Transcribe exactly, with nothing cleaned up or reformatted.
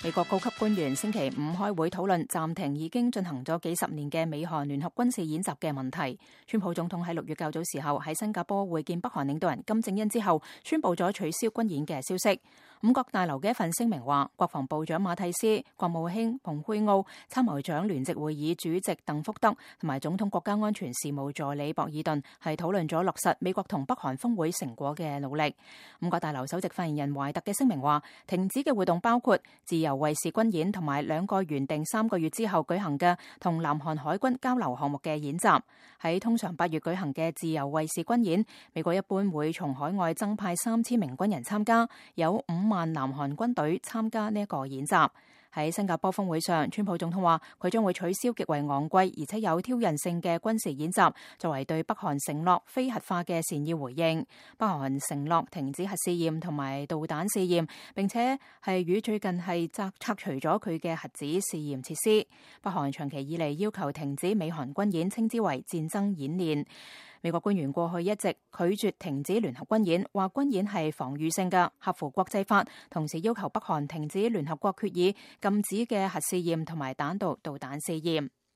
美國高級官員星期五開會討論暫停已經進行咗幾十年嘅美韓聯合軍事演習嘅問題。川普總統喺六月較早時候喺新加坡會見北韓領導人金正恩之後，宣布咗取消軍演嘅消息。五角大樓嘅一份聲明話，國防部長馬蒂斯、國務卿蓬佩奧、參謀長聯席會議主席鄧福德同埋總統國家安全事務助理博爾頓係討論咗落實美國同北韓峰會成果嘅努力。五角大樓首席發言人懷特嘅聲明話，停止嘅活動包括自由衛士軍演同埋兩個原定三個月之後舉行嘅同南韓海軍交流項目嘅演習。喺通常八月舉行嘅自由衛士軍演，美國一般會從海外增派三千名軍人參加，有五萬南韓軍隊參加呢一個演習。喺新加坡峰會上，川普總統話佢將會取消極為昂貴而且有挑釁性嘅軍事演習，作為對北韓承諾非核化嘅善意回應。北韓承諾停止核試驗同埋導彈試驗，並且係與最近係拆拆除咗佢嘅核子試驗設施。北韓長期以嚟要求停止美韓軍演，稱之為戰爭演練。美國官員過去一直拒絕停止聯合軍演，話軍演係防禦性嘅，合乎國際法，同時要求北韓停止聯合國決議禁止嘅核試驗同埋彈道導彈試驗。